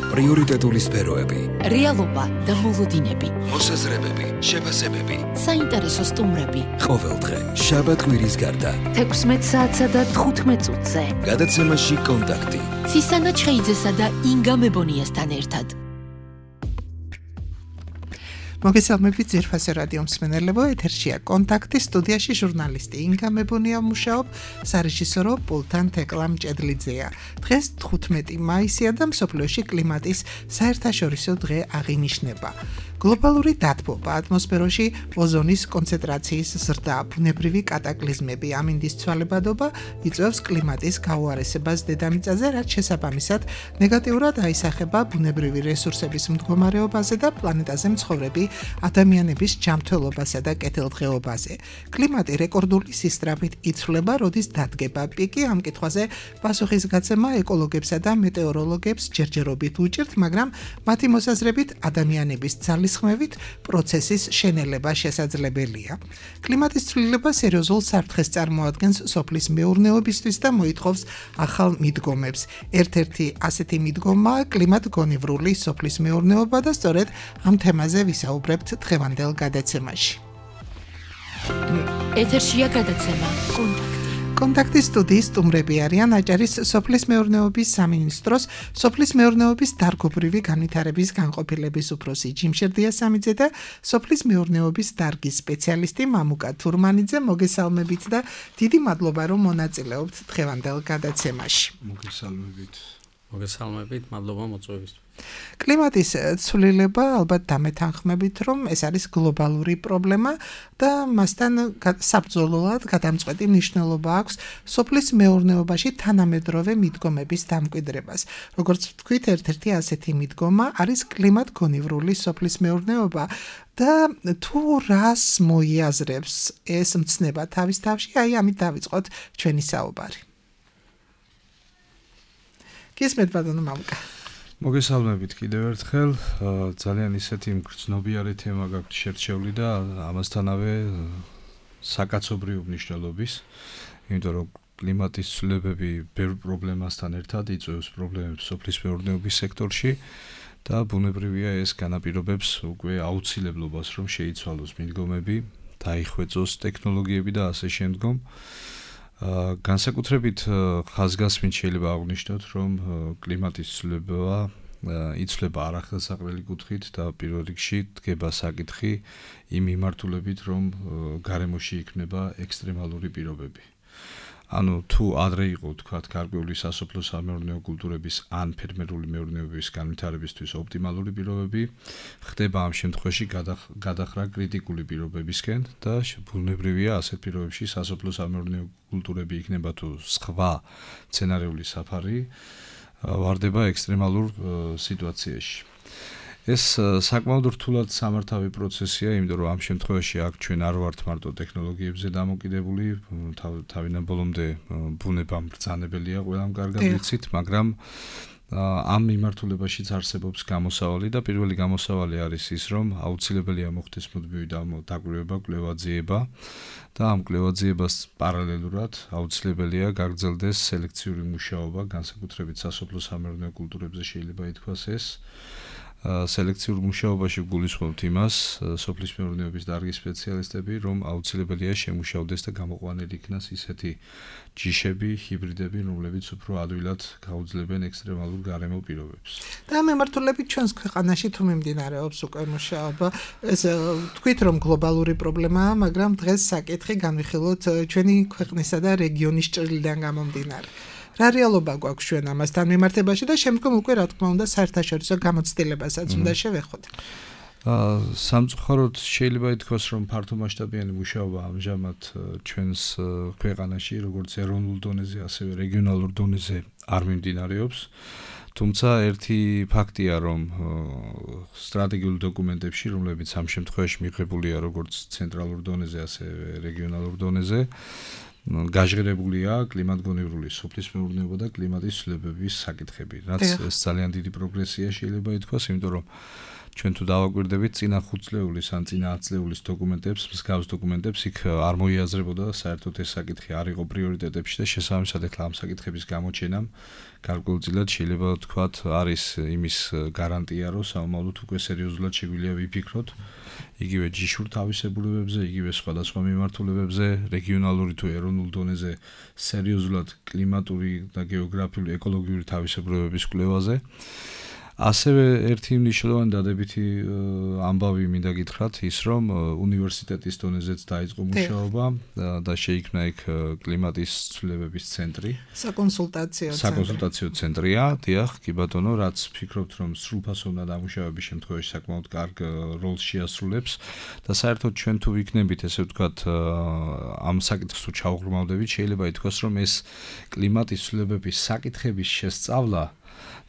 პრიორიტეტული სფეროები, რეალობა და მოლოდინები, მოსაზრებები, შეფასებები, საინტერესო სტუმრები. ყოველდღე, შაბათ-კვირის გარდა, 16 საათსა და 15 წუთზე. გადაცემაში კონტაქტი. ცისანა ჩხეიძესა და ინგა მებონიასთან ერთად. მოგესალმებით ძირფასე რადიო მსმენელებო, ეთერშია კონტაქტი, სტუდიაში ჟურნალისტი ინგა მებონია მუშაობ, სარეჟისორო პულტან თეკლა მჭედლიძეა. დღეს 15 მაისია და მსოფლიოში კლიმატის საერთაშორისო დღე აღინიშნება. გლობალური დათბობა, ატმოსფეროში ოზონის კონცენტრაციის ზრდა, ბუნებრივი კატაკლიზმები, ამინდის ცვალებადობა იწვევს კლიმატის გაუარესებას დედამიწაზე, რაც შესაბამისად ნეგატიურად აისახება ბუნებრივი რესურსების მდგომარეობაზე და პლანეტაზე მცხოვრები ადამიანების ჯანმრთელობასა და კეთილდღეობაზე. კლიმატი რეკორდული სისწრაფით იცვლება, როდის დადგება პიკი, ამ კითხვაზე პასუხისგაცემა ეკოლოგებსა და მეტეოროლოგებს ჯერჯერობით უჭირთ, მაგრამ მათი მოსაზრებით ადამიანების ძალისხმევით პროცესის შენელება შესაძლებელია. კლიმატის ცვლილება სერიოზულ საფრთხეს წარმოადგენს სოფლის მეურნეობისთვის და მოითხოვს ახალ მიდგომებს. ერთ-ერთი ასეთი მიდგომაა კლიმატგონივრული სოფლის მეურნეობა და სწორედ ამ თემაზე ვისაუბრებთ დღევანდელ გადაცემაში. ეთერშია გადაცემა კონტაქტი. კონტაქტის სტუდიის სტუმრები არიან აჭარის სოფლის მეურნეობის სამინისტროს სოფლის მეურნეობის დარგობრივი განვითარების განყოფილების უფროსი ჯიმშერ დიასამიძე და სოფლის მეურნეობის დარგის სპეციალისტი მამუკა თურმანიძე. მოგესალმებით და დიდი მადლობა რომ მონაწილეობთ დღევანდელ გადაცემაში. მოგესალმებით, მადლობა მოწვევისთვის. კლიმატის ცვლილება ალბათ დამეთანხმებით, რომ ეს არის გლობალური პრობლემა და მასთან საბრძოლველად გადამწყვეტი მნიშვნელობა აქვს სოფლის მეურნეობაში თანამედროვე მიდგომების დამკვიდრებას. როგორც ვთქვით, ერთ-ერთი ასეთი მიდგომა არის კლიმატგონივრული სოფლის მეურნეობა და თუ რას მოიაზრებს ეს მცნება თავის თავში, ამით დავიწყოთ ჩვენი საუბარი. გისმენთ ბატონო მამუკა. მოგესალმებით კიდევ ერთხელ, ძალიან ისეთი მგრძნობიარე თემა გაქვთ შერჩეული და ამასთანავე საკაცობრიო მნიშვნელობის, იმიტომ რომ კლიმატის ცვლილებები ბევრ პრობლემასთან ერთად იწვევს პრობლემებს სოფლის მეურნეობის სექტორში და ბუნებრივია ეს განაპირობებს უკვე აუცილებლობას, რომ შეიცვალოს მიდგომები, დაიხვეწოს ტექნოლოგიები და ასე შემდგომ. განსაკუთრებით ხაზგასმით შეიძლება აღვნიშნოთ, რომ კლიმატის ცვლილება იცვლება არახელსაყრელი კუთხით და პირველ რიგში დგება საკითხი იმ მიმართულებით, რომ გარემოში იქნება ექსტრემალური პირობები. ანუ თუ ადრე იყო თქვათ გარკვეული სასოფლო-სამეურნეო კულტურების ან ფერმერული მეურნეობის განვითარებისთვის ოპტიმალური პირობები, ხდება ამ შემთხვევაში გადახრა კრიტიკული პირობებისკენ და ბუნებრივია ასეთ პირობებში სასოფლო-სამეურნეო კულტურები იქნება თუ სხვა სცენარიული საფარი ვარდება ექსტრემალურ სიტუაციაში. ეს საკმაოდ რთულად სამართავი პროცესია, იმიტომ რომ ამ შემთხვევაში აქ ჩვენ არ ვართ მარტო ტექნოლოგიებზე დამოკიდებული, თავიდან ბოლომდე ბუნება მბრძანებელია, ყველამ კარგად ვიცით, მაგრამ ამ მიმართულებაშიც არსებობს გამოსავალი და პირველი გამოსავალი არის ის, რომ აუცილებელია მოხდეს მუდმივი დაკვირვება, კვლევა-ძიება და ამ კვლევა-ძიებას პარალელურად აუცილებელია გაგრძელდეს სელექციური მუშაობა, განსაკუთრებით სასოფლო-სამეურნეო კულტურებზე შეიძლება ითქვას ეს. სელექციურ მუშაობაში გულისხმობთ იმას, სოფლის მეურნეობის დარგის სპეციალისტები, რომ აუცილებელია შემუშავდეს და გამოყვანილი იქნას ისეთი ჯიშები, ჰიბრიდები, რომლებიც უფრო ადვილად გაუძლებენ ექსტრემალურ გარემო პირობებს. და მემართულებით ჩვენს ქვეყანაში თუ მიმდინარეობს უკვე მუშაობა, ეს თქვით რომ გლობალური პრობლემაა, მაგრამ დღეს საკითხი განვიხილოთ ჩვენი ქვეყნისა და რეგიონის ჭრილიდან გამომდინარე. რა რეალობა გვაქვს ჩვენ ამასთან მიმართებაში და შემდგომ უკვე რა თქმა უნდა საერთაშორისო გამოცდილებასაც უნდა შევეხოთ. სამწუხაროდ შეიძლება ითქვას, რომ ფართომასშტაბიანი მუშაობა ამჟამად ჩვენს ქვეყანაში, როგორც ეროვნულ დონეზე, ასევე რეგიონალურ დონეზე არ მიმდინარეობს. თუმცა ერთი ფაქტია, რომ სტრატეგიულ დოკუმენტებში, რომლებიც ამ შემთხვევაში მიღებულია როგორც ცენტრალურ დონეზე, ასევე რეგიონალურ დონეზე, გაჟღერებულია კლიმატგონივრული სოფლის მეურნეობა და კლიმატის ცვლილებების საკითხები, რაც ეს ძალიან დიდი პროგრესია შეიძლება ითქვას, იმიტომ რომ ჩვენ თუ დავაკვირდებით წინა 5 წლეულის ან წინა 10 წლეულის დოკუმენტებს, მსგავს დოკუმენტებს იქ არ მოიაზრებოდა საერთოდ ეს საკითხი არ იყო პრიორიტეტებში და შესაბამისად ეხლა ამ საკითხების გამოჩენამ გარკვეულწილად შეიძლება ვთქვათ არის იმის გარანტია რომ საომავლოდ უკვე სერიოზულად შეგვიძლია ვიფიქროთ იგივე ჯიშურ თავისებურებებზე, იგივე სხვადასხვა მიმართულებებზე, რეგიონალური თუ ეროვნულ დონეზე სერიოზულად კლიმატური და გეოგრაფიული ეკოლოგიური თავისებურებების კვლევაზე. ასევე ერთი მნიშვნელოვანი დადებითი ამბავი მინდა გითხრათ ის რომ უნივერსიტეტის დონეზეც დაიწყო მუშაობა და შეიქმნა იქ კლიმატის ცვლილებების ცენტრი. საკონსულტაციო ცენტრია, დიახ, კი ბატონო, რაც ვფიქრობთ რომ სრულფასოვნად დამუშავების შემთხვევაში საკმაოდ კარგ როლს შეასრულებს და საერთოდ ჩვენ თუ ვიქნებით ესე ვთქვათ ამ საკითხს თუ ჩავღრმავდებით, შეიძლება ითქვას რომ ეს კლიმატის ცვლილებების საკითხების შესწავლა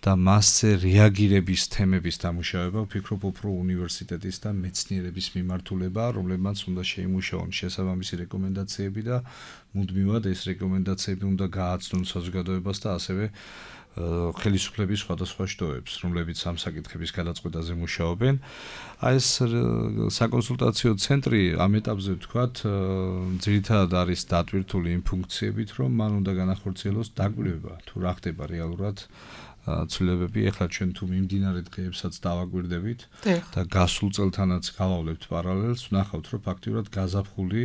და მასზე რეაგირების თემების დამუშავება ვფიქრობ უფრო უნივერსიტეტის და მეცნიერების მიმართულება, რომლებმაც უნდა შეიმუშაონ შესაბამისი რეკომენდაციები და მუდმივად ეს რეკომენდაციები უნდა გააცნონ საზოგადოებას და ასევე ხელისუფლების სხვადასხვა შტოებს, რომლებიც ამ საკითხების გადაწყვეტაზე მუშაობენ. აი ეს საკონსულტაციო ცენტრი ამ ეტაპზე ვთქვათ, ძირითადად არის დატვირთული იმ ფუნქციებით, რომ მან უნდა განახორციელოს დაკვირვება, თუ რა ხდება რეალურად ცვლილებები. ეხლა ჩვენ თუ მიმდინარე დღეებსაც დავაკვირდებით და გასულ წელთანაც გავავლებთ პარალელს, ვნახავთ, რომ ფაქტიურად გაზაფხული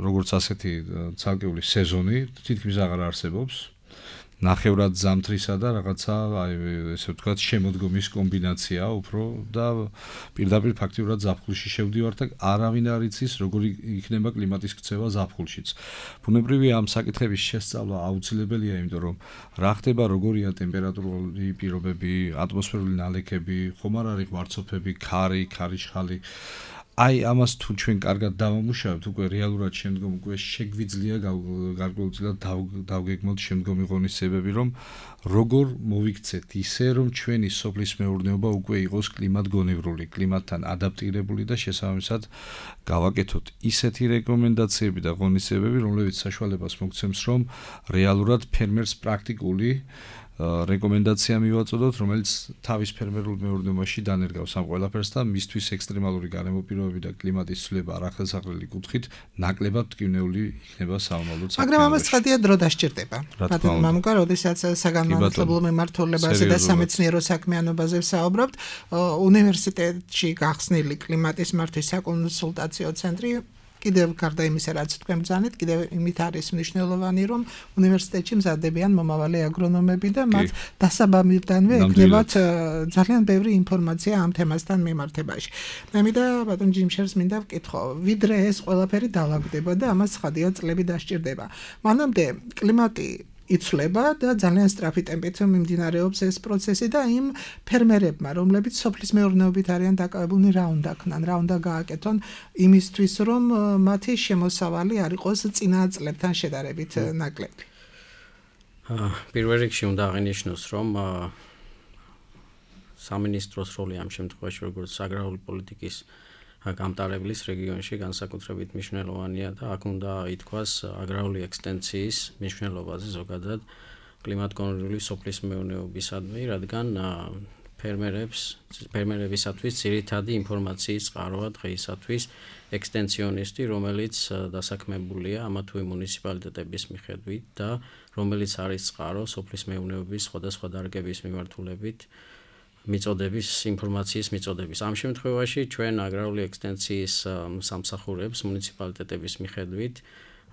როგორც ასეთი ცალკეული სეზონი თითქმის აღარ არსებობს. ნახევრად ზამთრისა და რაღაცა აი ესე ვთქვათ შემოდგომის კომბინაცია უფრო და პირდაპირ ფაქტიურად ზაფხულში შევდივართ და არავინ არ იცის როგორი იქნება კლიმატის ქცევა ზაფხულშიც. ბუნებრივია ამ საკითხების შესწავლა აუცილებელია, იმიტომ რომ რა ხდება, როგორია ტემპერატურული პირობები, ატმოსფერული ნალექები, ხომ არ არის ღვარცოფები, ქარიშხალი. აი ამას თუ ჩვენ კარგად დავამუშავებთ, უკვე რეალურად შემდგომ უკვე შეგვიძლია გარკვეულწილად დავგეგმოთ შემდგომი ღონისძიებები, რომ როგორ მოვიქცეთ ისე, რომ ჩვენი სოფლის მეურნეობა უკვე იყოს კლიმატგონივრული, კლიმატთან ადაპტირებული და შესაბამისად გავაკეთოთ ისეთი რეკომენდაციები და ღონისძიებები, რომლებიც საშუალებას მოგცემს, რომ რეალურად ფერმერს პრაქტიკული რეკომენდაცია მივაწოდოთ, რომელიც თავის ფერმერულ მეურნეობაში დანერგავს ამ ყველაფერს და მისთვის ექსტრემალური გარემო პირობები და კლიმატის ცვლილება არახელსაყრელი კუთხით ნაკლებად მტკივნეული იქნება საომავლოდ საქმიანობაში. მაგრამ ამას ცხადია დრო დასჭირდება. ბატონო მამუკა, როდესაც საგანმანათლებლო მიმართულებაზე და სამეცნიერო საქმიანობაზე ვსაუბრობთ, უნივერსიტეტში გახსნილი კლიმატის მართვის საკონსულტაციო ცენტრი კიდევ გარდა იმისა, რაც თქვენ ბრძანეთ, კიდევ იმით არის მნიშვნელოვანი, რომ უნივერსიტეტში მზადდებიან მომავალი აგრონომები და მათ დასაბამირდანვე ეკნებათ ძალიან ბევრი ინფორმაცია ამ თემასთან მიმართებაში. მე მინდა ბატონ ჯიმშერს მინდა ვკითხო, ვიდრე ეს ყველაფერი დაალაგდება და ამას ცხადია წლები დასჭირდება. მანამდე კლიმატი იცვლება და ძალიან სწრაფი ტემპით მიმდინარეობს ეს პროცესი და იმ ფერმერებმა, რომლებიც სოფლის მეურნეობით არიან დაკავებულნი, რა უნდა ქნან, რა უნდა გააკეთონ იმისთვის, რომ მათი შემოსავალი არ იყოს წინა წლებთან შედარებით ნაკლები. პირველ რიგში უნდა აღინიშნოს, რომ სამინისტროს როლი ამ შემთხვევაში როგორც აგრარული პოლიტიკის გამტარებლის რეგიონში განსაკუთრებით მნიშვნელოვანია და აქ უნდა ითქვას აგრარული ექსტენციის მნიშვნელობაზე ზოგადად კლიმატგონივრული სოფლის მეურნეობისადმი, რადგან ფერმერებისათვის ძირითადი ინფორმაციის წყაროა დღეისათვის ექსტენციონისტი, რომელიც დასაქმებულია ამა თუ იმ მუნიციპალიტეტების მიხედვით და რომელიც არის წყარო სოფლის მეურნეობის სხვადასხვა დარგების მიმართულებით მიწოდების ინფორმაციის მიწოდების. ამ შემთხვევაში ჩვენ აგრარული ექსტენციის სამსახურებს მუნიციპალიტეტების მიხედვით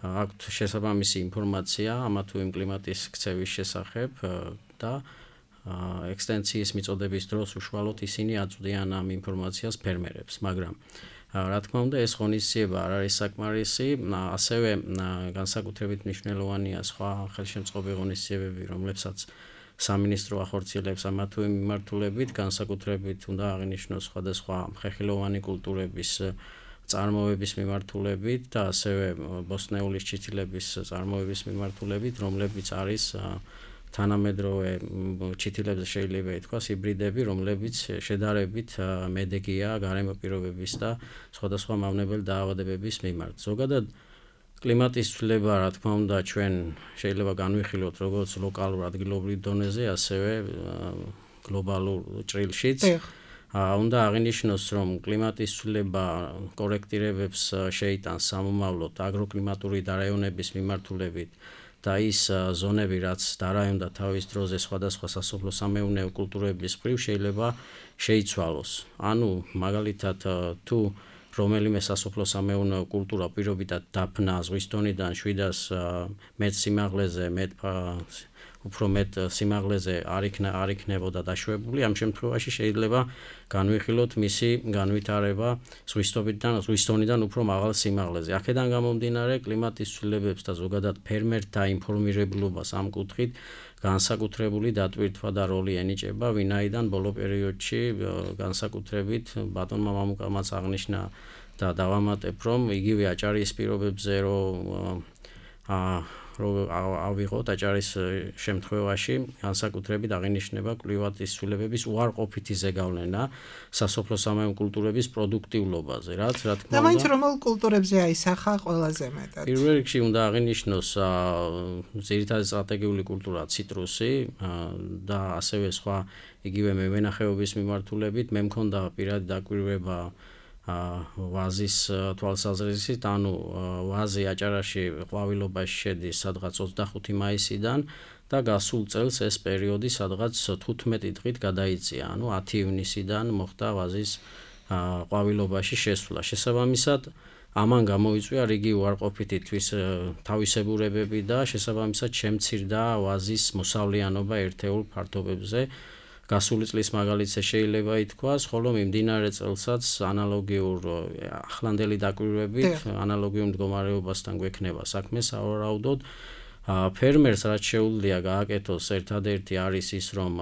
აქვთ შესაბამისი ინფორმაცია ამა თუ იმ კლიმატის ქცევის შესახებ და ექსტენციის მიწოდების დროს უშუალოდ ისინი აწვდიან ამ ინფორმაციას ფერმერებს, მაგრამ რა თქმა უნდა ეს ღონისძიება არ არის საკმარისი, ასევე განსაკუთრებით მნიშვნელოვანია სხვა ხელშემწყობი ღონისძიებები, რომლებსაც სამინისტრო ახორციელებს ამა თუ იმ მიმართულებით, განსაკუთრებით უნდა აღინიშნოს სხვადასხვა ხეხილოვანი კულტურების წარმოების მიმართულებით და ასევე ბოსტნეულის ჩითილების წარმოების მიმართულებით, რომლებიც არის თანამედროვე ჩითილებზე შეიძლება ითქვას ჰიბრიდები, რომლებიც შედარებით მედეგია გარემო პირობების და სხვადასხვა მავნებელ დაავადებების მიმართ. ზოგადად კლიმატის ცვლილება, რა თქმა უნდა, ჩვენ შეიძლება განვიხილოთ როგორც ლოკალურ ადგილობრივ დონეზე, ასევე გლობალურ ჭრილშიც. უნდა აღინიშნოს, რომ კლიმატის ცვლილება კორექტირებებს შეიტანს სამომავლოდ აგროკლიმატური დარაიონების მიმართულებით და ის ზონები, რაც დარაიონდა თავის დროზე სხვადასხვა სასოფლო-სამეურნეო კულტურების მხრივ შეიძლება შეიცვალოს. ანუ მაგალითად თუ რომელიმე სასოფლო-სამეურნეო კულტურა პირობითად დაფნა ზღვის დონიდან 700 მეტ სიმაღლეზე, უფრო მეტ სიმაღლეზე არ იქნებოდა დაშვებული, ამ შემთხვევაში შეიძლება განვიხილოთ მისი განვითარება ზღვის დონიდან უფრო მაღალ სიმაღლეზე. აქედან გამომდინარე, კლიმატის ცვლილებებს და ზოგადად ფერმერთა ინფორმირებულობას ამ კუთხით განსაკუთრებული დატვირთვა და როლი ენიჭება, ვინაიდან ბოლო პერიოდში განსაკუთრებით ბატონმა მამუკამაც აღნიშნა და დავამატებ, რომ იგივე აჭარის პირობებზე რომ ავიღოთ აჭარის შემთხვევაში განსაკუთრებით აღინიშნება კლიმატის ცვლილებების უარყოფითი ზეგავლენა სასოფლო-სამეურნეო კულტურების პროდუქტიულობაზე, რაც რა თქმა უნდა. და მაინც რომელ კულტურებზე აისახა ყველაზე მეტად? პირველ რიგში უნდა აღინიშნოს ძირითადი სტრატეგიული კულტურა ციტრუსი და ასევე სხვა იგივე მევენახეობის მიმართულებით. მე მქონდა პირადი დაკვირვება ვაზის თვალსაზრისით, ანუ ვაზი აჭარაში ყვავილობაში შედის სადღაც 25 მაისიდან და გასულ წელს ეს პერიოდი სადღაც 15 დღით გადაიწია, ანუ 10 ივნისიდან მოხდა ვაზის ყვავილობაში შესვლა. შესაბამისად, ამან გამოიწვია რიგი უარყოფითი თავისებურებები და შესაბამისად შემცირდა ვაზის მოსავლიანობა ერთეულ ფართობებზე. გასული წლის მაგალითზე შეიძლება ითქვას, ხოლო მიმდინარე წელსაც ანალოგიურ ახლანდელი დაკვირვებით, ანალოგიურ მდგომარეობასთან გვექნება საქმე სავარაუდოდ. ფერმერს რაც შეუძლია გააკეთოს ერთადერთი არის ის, რომ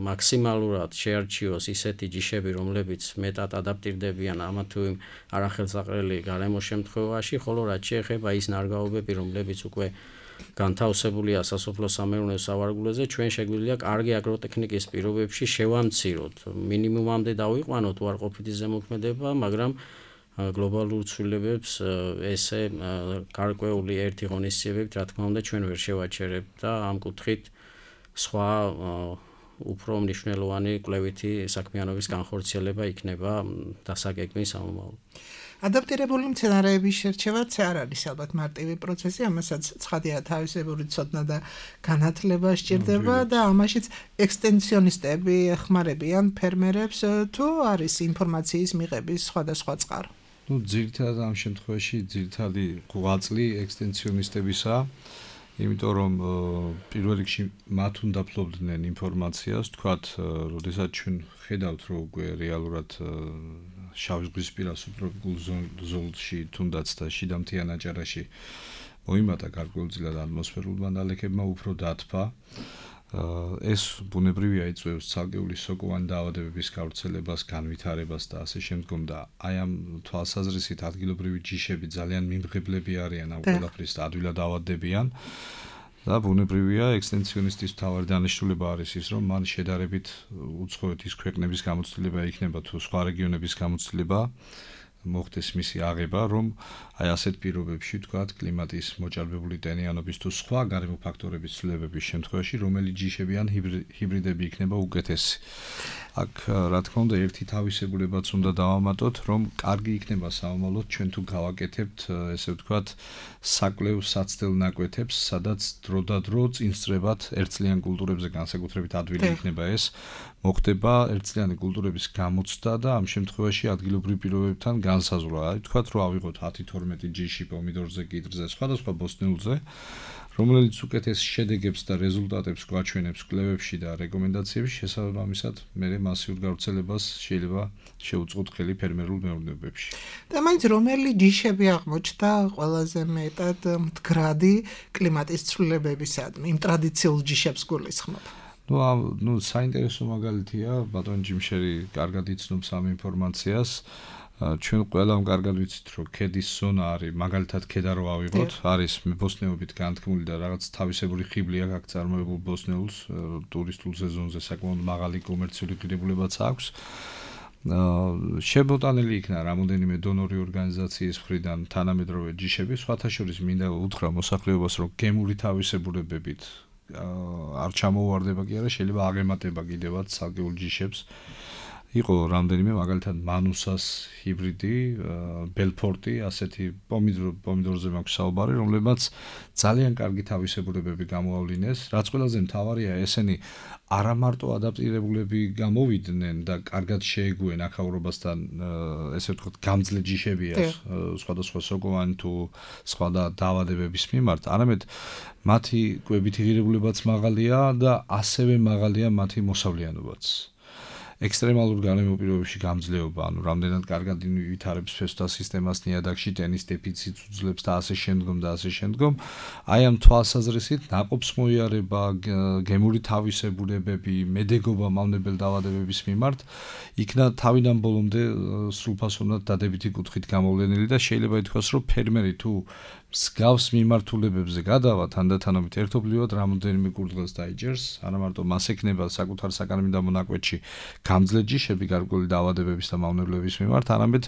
მაქსიმალურად შეარჩიოს ისეთი ჯიშები, რომლებიც მეტად ადაპტირდებიან ამა თუ იმ არახელსაყრელი გარემოს შემთხვევაში, ხოლო რაც შეეხება ის ნარგავობები, რომლებიც უკვე განთავსებულია სასოფლო-სამეურნეო სავარგულებზე, ჩვენ შეგვიძლია კარგი აგროტექნიკის პირობებში შევამციროთ, მინიმუმამდე დავიყვანოთ უარყოფითი ზემოქმედება, მაგრამ გლობალურ ცვლილებებს ესე გარკვეული ერთი ღონისძიებებით, რა თქმა უნდა, ჩვენ ვერ შევაჩერებთ და ამ კუთხით სხვა უფრო მნიშვნელოვანი კვლევითი საქმიანობის განხორციელება იქნება დასაგეგმი სამომავლოდ. ადაპტირებული მცენარეების შერჩევაც არ არის ალბათ მარტივი პროცესი, ამასაც ცხადია თავისებური ცოდნა და განათლება სჭირდება და ამაშიც ექსტენსიონისტები ეხმარებიან ფერმერებს თუ არის ინფორმაციის მიღების სხვადასხვა წყარო. ძირითადად ამ შემთხვევაში ძირითადი ღვაწლი ექსტენსიონისტებისაა, იმიტომ რომ პირველ რიგში მათ უნდა ფლობდნენ ინფორმაციას, თქვათ, როდესაც ჩვენ ხედავთ, რომ უკვე რეალურად შავი ზღვისპირა სუბტროპიკულ ზოლში თუნდაც და შიდა მთიან აჭარაში მოიმატა გარკვეულწილად ატმოსფერულმა ნალექებმა უფრო დათბა. ეს ბუნებრივია იწვევს ცალკეული სოკოვანი დაავადებების გავრცელებას, განვითარებას და ასე შემდგომ და აი ამ თვალსაზრისით ადგილობრივი ჯიშები ძალიან მიმღებლები არიან ამ ყველაფრის და ადვილად ავადდებიან. და ბუნებრივია ექსტენსიონისტის მთავარი დანიშნულება არის ის, რომ მან შედარებით უცხოეთ ის ქვეყნების გამოცდილება იქნება თუ სხვა რეგიონების გამოცდილება მოხდეს მისი აღება, რომ აი ასეთ პირობებში, თქვათ, კლიმატის მოჭარბებული ტენიანობის თუ სხვა გარემო ფაქტორების ცვლილებების შემთხვევაში, რომელი ჯიშები ან ჰიბრიდები იქნება უკეთესი. აქ რა თქმა უნდა, ერთი თავისებურებაც უნდა დავამატოთ, რომ კარგი იქნება სამომავლოდ ჩვენ თუ გავაკეთებთ, ესე ვთქვათ, საკვლევ საცდელ ნაკვეთებს, სადაც დროდადრო წინსწრებად ერთწლიან კულტურებზე განსაკუთრებით ადვილი იქნება ეს, მოხდება ერთწლიანი კულტურების გამოცდა და ამ შემთხვევაში ადგილობრივ პირობებთან განსაზღვრა. აი ვთქვათ, რომ ავიღოთ 10-12 ჯიში პომიდორზე, კიდრზე, სხვადასხვა ბოსტნეულზე, რომელიც უკეთეს შედეგებს და რეზულტატებს გვაჩვენებს კვლევებში და რეკომენდაციებში, შესაბამისად, მე მასიურ გავრცელებას შეიძლება შეუწყოთ ხელი ფერმერულ მეურნეობებში. და მაინც რომელი ჯიშები აღმოჩნდა ყველაზე მეტად მდგრადი კლიმატის ცვლილებებისადმი, იმ ტრადიციულ ჯიშებს გულისხმობ? ნუ საინტერესო მაგალითია, ბატონ ჯიმშერი კარგად იცნობს ამ ინფორმაციას. ჩვენ ყველამ კარგად ვიცით, რომ ქედის ზონა არის, მაგალითად ქედა რო ავიღოთ, არის ბოსტნეობით განთქმული და რაღაც თავისებური ხიბლი აქვს წარმოებულ ბოსტნეულს, ტურისტულ სეზონზე საკმაოდ მაღალი კომერციული ღირებულებაც აქვს. შებოტანილი იქნა რამოდენიმე დონორი ორგანიზაციის მხრიდან თანამედროვე ჯიშები, სხვათა შორის მინდა უთხრა მოსახლეობას, რომ გემური თავისებურებებით არ ჩამოუვარდება კი არა, შეიძლება აღემატება კიდევაც ცალკეულ ჯიშებს. იყო რამდენიმე მაგალითად მანუსას ჰიბრიდი, ბელფორტი, ასეთი პომიდორზე მაქვს საუბარი, რომლებიც ძალიან კარგი თავისებურებები გამოავლინეს. რაც ყველაზე მთავარია, ესენი არა მარტო ადაპტირებულები გამოვიდნენ და კარგად შეეგუენ აქაურობასთან, ესე ვთქვათ, გამძლე ჯიშებია სხვადასხვა სოკოვანი თუ სხვა დაავადებების მიმართ, არამედ მათი კვებითი ღირებულებაც მაღალია და ასევე მაღალია მათი მოსავლიანობაც. ექსტრემალურ გარემო პირობებში გამძლეობა, ანუ რამდენად კარგად ვითარებს ფესვთა სისტემას ნიადაგში, ტენის დეფიციტს უძლებს და ასე შემდგომ. აი ამ თვალსაზრისით ნაყოფს მოიარება, გემური თავისებურებები, მედეგობა მავნებელ დაავადებების მიმართ იქნა თავიდან ბოლომდე სრულფასოვნად დადებითი კუთხით გამოვლენილი და შეიძლება ითქვას, რომ ფერმერი თუ მსგავს მიმართულებებზე გადავა თანდათანობით ერთობლივად რამოდენიმე კურდღელს დაიჯერს, არა მარტო მას ექნება საკუთარ საკანონმდებლო მონაკვეთში გამძლე ჯიშები გარკვეული დაავადებების და მავნებლების მიმართ, არამედ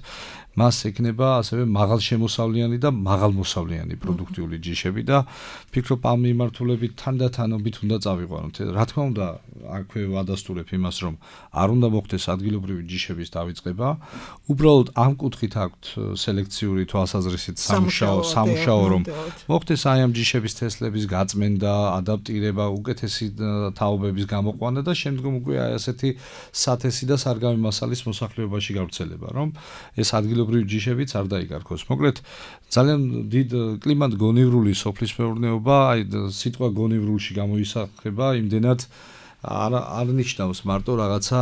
მას ექნება ასევე მაღალშემოსავლიანი და მაღალმოსავლიანი პროდუქტიული ჯიშები და ფიქრობ ამ მიმართულებით თანდათანობით უნდა წავიყვანოთ. რა თქმა უნდა, აქვე ვადასტურებ იმას, რომ არ უნდა მოხდეს ადგილობრივი ჯიშების დავიწყება, უბრალოდ ამ კუთხით აქვთ სელექციური თვალსაზრისით სამუშაო რომ მოხდეს აი ამ ჯიშების თესლების გაწმენდა, ადაპტირება, უკეთესი თაობების გამოყვანა და შემდგომ უკვე აი ასეთი სათესი და სარგამი მასალის მოსახლეობაში გავრცელება, რომ ეს ადგილობრივი ჯიშებიც არ დაიკარგოს. მოკლედ, ძალიან დიდ კლიმატ-გონივრული სოფლის მეურნეობა, აი სიტყვა გონივრულში გამოისახება იმდენად არ ნიშნავს მარტო რაღაცა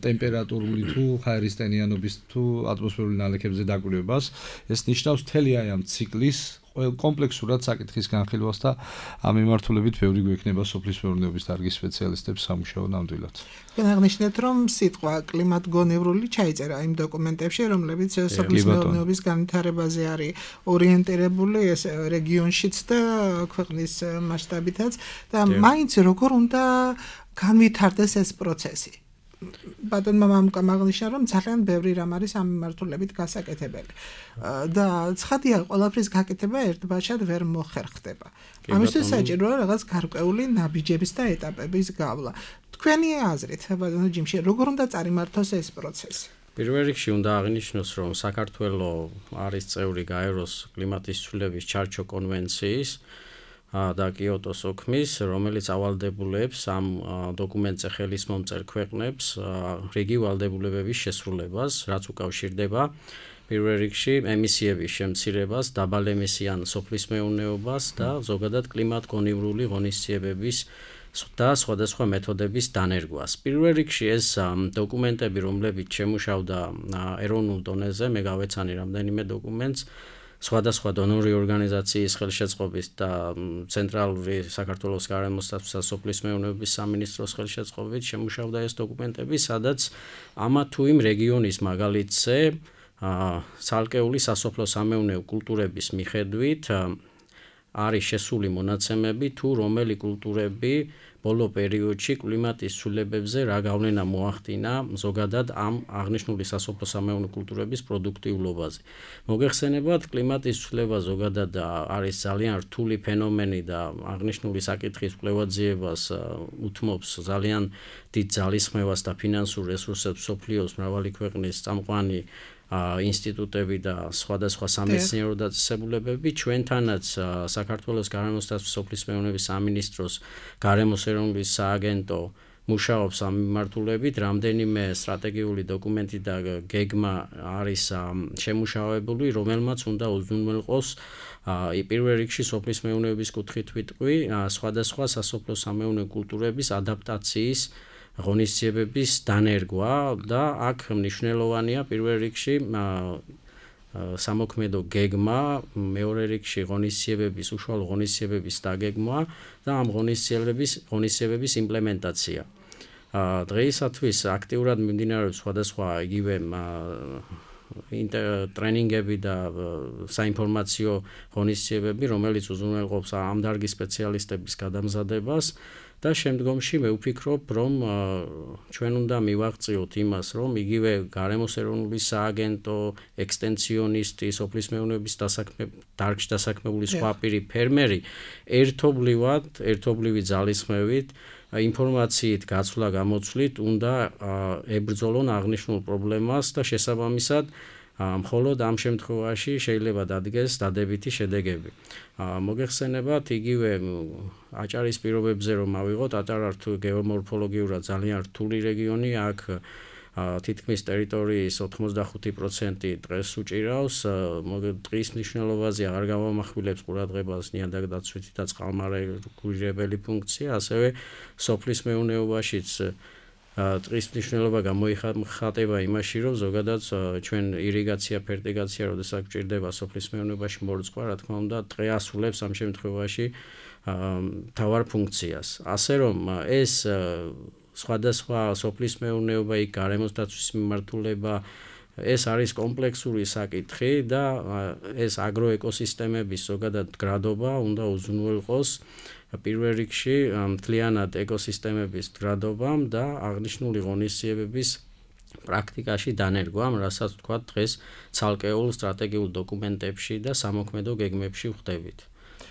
ტემპერატურული თუ ჰაერისტენიანობის თუ ატმოსფერული ნალექებზე დაკვირვებას, ეს ნიშნავს მთელი აი ამ ციკლის კომპლექსურად საკითხის განხილვას და ამ მიმართულებით ბევრი გვექნება სოფლის მეურნეობის დარგის სპეციალისტებს სამუშაო ნამდვილად. აღნიშნეთ, რომ სიტყვა კლიმატ-გონივრული ჩაიწერა იმ დოკუმენტებში, რომლებიც სოფლის მეურნეობის განვითარებაზე არის ორიენტირებული ეს რეგიონშიც და ქვეყნის მასშტაბითაც და მაინც როგორ უნდა განვითარდეს ეს პროცესი. ბატონმა მამუკამ აღნიშნა, რომ ძალიან ბევრი რამ არის ამ მიმართულებით გასაკეთებელი. და ცხადია, ყველაფრის გაკეთება ერთბაშად ვერ მოხერხდება. ამისთვის საჭიროა რაღაც გარკვეული ნაბიჯების და ეტაპების გავლა. თქვენი აზრით, ბატონო ჯიმში, როგორ უნდა წარიმართოს ეს პროცესი? პირველ რიგში უნდა აღინიშნოს, რომ საქართველოს არის წევრი გაეროს კლიმატის ცვლილების ჩარჩო კონვენციის და კიოტოს ოქმის, რომელიც ავალდებულებს ამ დოკუმენტზე ხელის მომწერ ქვეყნებს რიგი ვალდებულებების შესრულებას, რაც უკავშირდება პირველ რიგში ემისიების შემცირებას, დაბალემისიან სოფლის მეურნეობას და ზოგადად კლიმატ-გონივრული ღონისძიებების და სხვადასხვა მეთოდების დანერგვას. პირველ რიგში ეს დოკუმენტები, რომლებიც შემუშავდა ეროვნულ დონეზე, მე გავეცანი რამდენიმე დოკუმენტს, სხვადასხვა დონორი ორგანიზაციის ხელშეწყობით და ცენტრალური საქართველოს გარემოსდაცვისა და სოფლის მეურნეობის სამინისტროს ხელშეწყობით შემუშავდა ეს დოკუმენტები, სადაც ამა თუ იმ რეგიონის მაგალითზე ცალკეული სასოფლო-სამეურნეო კულტურების მიხედვით არის შესული მონაცემები თუ რომელი კულტურები ბოლო პერიოდში კლიმატის ცვლილებებზე რა გავლენა მოახდინა ზოგადად ამ აღნიშნული სასოფლო-სამეურნეო კულტურების პროდუქტიულობაზე. მოგეხსენებათ, კლიმატის ცვლილება ზოგადად არის ძალიან რთული ფენომენი და აღნიშნული საკითხის კვლევაძიებას უთმობს ძალიან დიდ ძალისხმევას და ფინანსურ რესურსებს მსოფლიოს მრავალი ქვეყნის წამყვანი ინსტიტუტები და სხვადასხვა სამეცნიერო დაწესებულებები. ჩვენთანაც საქართველოს გარემოსდაცვის სოფლის მეურნეობის სამინისტროს გარემოს ეროვნული სააგენტო მუშაობს ამ მიმართულებით, რამდენიმე სტრატეგიული დოკუმენტი და გეგმა არის შემუშავებული, რომელმაც უნდა უზრუნველყოს პირველ რიგში სოფლის მეურნეობის კუთხით ვიტყვი, სხვადასხვა სასოფლო-სამეურნეო კულტურების ადაპტაციის ღონისძიებების დანერგვა და აქ მნიშვნელოვანია პირველ რიგში სამოქმედო გეგმა, მეორე რიგში ღონისძიებების, უშუალო ღონისძიებების დაგეგმვა და ამ ღონისძიებების იმპლემენტაცია. დღეისათვის აქტიურად მიმდინარეობს სხვადასხვა იგივე ტრენინგები და საინფორმაციო ღონისძიებები, რომელიც უზრუნველყოფს ამ დარგის სპეციალისტების გადამზადებას და შემდგომში მე ვფიქრობ, რომ ჩვენ უნდა მივაღწიოთ იმას, რომ იგივე გარემოს ეროვნული სააგენტო, ექსტენციონისტი, სოფლის მეურნეობის დარგში დასაქმებული სხვა პირი ფერმერი ერთობლივი ძალისხმევით ინფორმაციით გაცვლა გამოცვლით უნდა ებრძოლონ აღნიშნულ პრობლემას და შესაბამისად მხოლოდ ამ შემთხვევაში შეიძლება დადგეს დადებითი შედეგები. მოგეხსენებათ იგივე აჭარის პირობებზე რომ ავიღოთ, აჭარა გეომორფოლოგიურად ძალიან რთული რეგიონი, აქ თითქმის ტერიტორიის 85% დღეს უჭირავს, ტყის მნიშვნელობაზე აღარ გავამახვილებს ყურადღებას ნიადაგდაცვითი და წყალმარეგირებელი ფუნქცია, ასევე სოფლის მეურნეობაშიც ტყის მნიშვნელობა გამოიხატება იმაში, რომ ზოგადად ჩვენ ირიგაცია, ფერტიგაცია, როდესაც გვჭირდება სოფლის მეურნეობაში მორწყვა, რა თქმა უნდა, ტყე ასრულებს ამ შემთხვევაში მთავარ ფუნქციას. ასე რომ ეს სხვადასხვა სოფლის მეურნეობა, იქ გარემოს დაცვის მიმართულება, ეს არის კომპლექსური საკითხი და ეს აგროეკოსისტემების ზოგადად გრადობა უნდა უზრუნველყოს პირველ რიგში მთლიანად ეკოსისტემების გრადობამ და აღნიშნული ღონისძიებების პრაქტიკაში დანერგვამ, რასაც თქვა დღეს ცალკეულ სტრატეგიულ დოკუმენტებში და სამოქმედო გეგმებში ვხვდებით.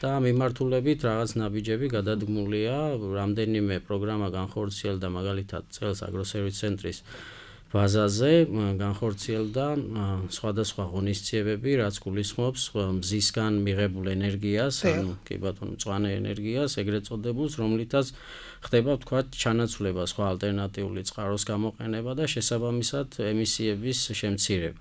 და მიმართულებით რაღაც ნაბიჯები გადადგმულია, რამდენიმე პროგრამა განხორციელდა მაგალითად წელს აგროსერვის ცენტრის ბაზაზე, განხორციელდა სხვადასხვა ღონისძიებები, რაც გულისხმობს მზისგან მიღებულ ენერგიას, ანუ კი ბატონო, მწვანე ენერგიას, ეგრეთ წოდებულს, რომლითაც ხდება ვთქვათ ჩანაცვლება სხვა ალტერნატიული წყაროს გამოყენება და შესაბამისად ემისიების შემცირება.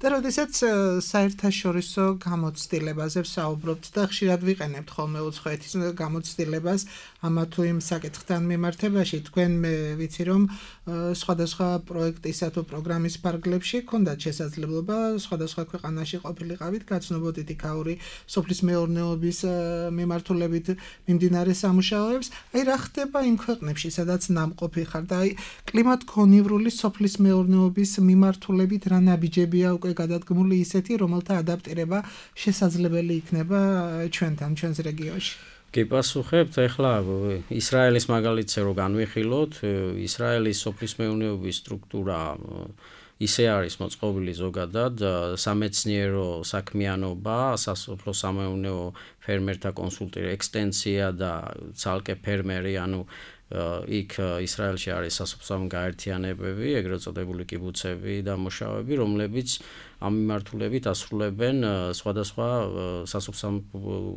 და როდესაც საერთაშორისო გამოცდილებაზე ვსაუბრობთ და ხშირად ვიყენებთ ხოლმე უცხოეთის გამოცდილებას ამა თუ იმ საკითხთან მიმართებაში, თქვენ მე ვიცი რომ სხვადასხვა პროექტისა თუ პროგრამის ფარგლებში ჰქონდათ შესაძლებლობა სხვადასხვა ქვეყანაში ყოფილიყავით, გაცნობოდით იქაური სოფლის მეურნეობის მიმართულებით მიმდინარე სამუშაოებს. აი რა ხდება იმ ქვეყნებში, სადაც ნამყოფი ხარ და აი კლიმატ-გონივრული სოფლის მეურნეობის მიმართულებით რა ნაბიჯებია უკვე გადადგმული ისეთი, რომელთა ადაპტირება შესაძლებელი იქნება ჩვენთან, ჩვენს რეგიონში. კი პასუხებთ, ეხლა ისრაელის მაგალითზე რო განვიხილოთ, ისრაელის სოფლის მეურნეობის სტრუქტურა ისე არის მოწყობილი ზოგადად, სამეცნიერო საქმიანობა, სასოფლო სამეურნეო ფერმერთა კონსულტირება, ექსტენსია და ცალკე ფერმერი, ანუ იქ ისრაელში არის სასოფლო გაერთიანებები, ეგრეთ წოდებული კიბუცები და მუშაობები, რომლებიც ამ მიმართულებით ასრულებენ სხვადასხვა სასოფლო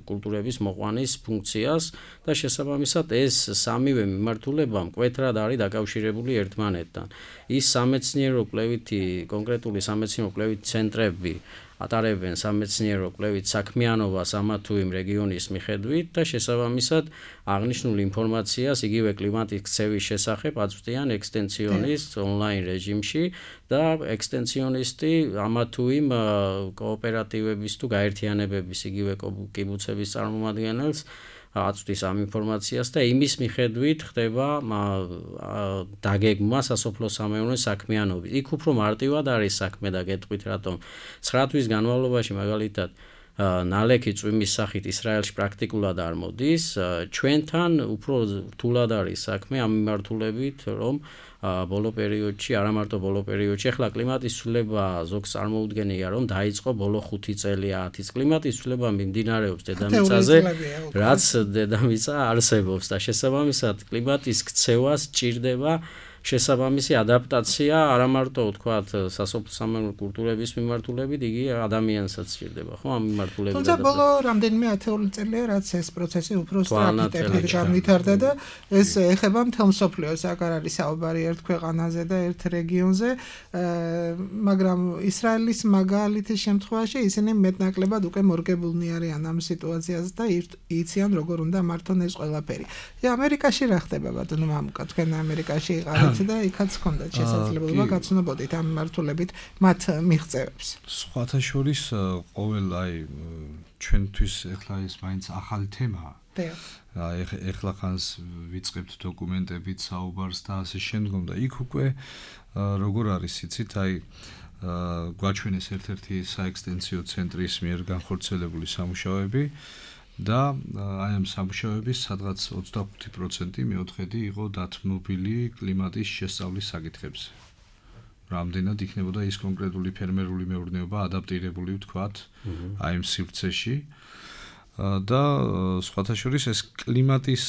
კულტურების მოყვანის ფუნქციას და შესაბამისად ეს სამივე მიმართულება მკვეთრად არის დაკავშირებული ერთმანეთთან. ის სამეცნიერო კვლევითი, კონკრეტული სამეცნიერო კვლევითი ცენტრები ატარებენ სამეცნიერო კვლევით საქმიანობას ამა თუ იმ რეგიონის მიხედვით და შესაბამისად აღნიშნულ ინფორმაციას იგივე კლიმატის ქცევის შესახებ აწვდიან ექსტენსიონისტ ონლაინ რეჟიმში და ექსტენსიონისტი ამა თუ იმ კოოპერატივების თუ გაერთიანებების იგივე კიბუცების წარმომადგენელს აწვდის ამ ინფორმაციას და იმის მიხედვით ხდება დაგეგმვა სასოფლო სამეურნეო საქმიანობის. იქ უფრო მარტივად არის საქმე და გეტყვით რატომ 9 თვის განმავლობაში მაგალითად ნალექი წვიმის სახით ისრაელში პრაქტიკულად არ მოდის, ჩვენთან უფრო რთულად არის საქმე ამ მიმართულებით, რომ ბოლო პერიოდში, არა მარტო ბოლო პერიოდში, ახლა კლიმატის ცვლილება ზოგს წარმოუდგენია, რომ დაიწყო ბოლო 5 წელი 10 წელი. კლიმატის ცვლილება მიმდინარეობს დედამიწაზე, რაც დედამიწა არსებობს და შესაბამისად კლიმატის ქცევას ჭირდება შესაბამისი ადაპტაცია, არა მარტო ვთქვათ სასოფლო სამეურნეო კულტურების მიმართულებით, იგი ადამიანსაც ჭირდება, ხო, ამ მიმართულებით. თუმცა ბოლო რამდენიმე ათეული წელია, რაც ეს პროცესი უფრო სწრაფი ტემპით განვითარდა და ეს ეხება მთელ მსოფლიოს, აქ არ არის საუბარი ერთ ქვეყანაზე და ერთ რეგიონზე, მაგრამ ისრაელის მაგალითის შემთხვევაში ისინი მეტნაკლებად უკვე მორგებულნი არიან ამ სიტუაციაზე და იციან როგორ უნდა მართონ ეს ყველაფერი. ამერიკაში რა ხდება ბატონო მამუკა, თქვენ ამერიკაში იყავით და იქაც ჰქონდათ შესაძლებლობა გაცნობოდით ამ მიმართულებით მათ მიღწევებს. სხვათა შორის ყოველ აი ჩვენთვის ეხლა ეს მაინც ახალი თემაა. ეხლა ხანს ვიწყებთ დოკუმენტებით საუბარს და ასე შემდგომ და იქ უკვე როგორ არის იცით აი გვაჩვენეს ერთ-ერთი საექსტენსიო ცენტრის მიერ განხორციელებული სამუშაოები და აი ამ სამუშაოების სადღაც 25% მეოთხედი იყო დათმობილი კლიმატის შესწავლის საკითხებზე. რამდენად იქნებოდა ის კონკრეტული ფერმერული მეურნეობა ადაპტირებული ვთქვათ აი ამ სივრცეში და სხვათა შორის ეს კლიმატის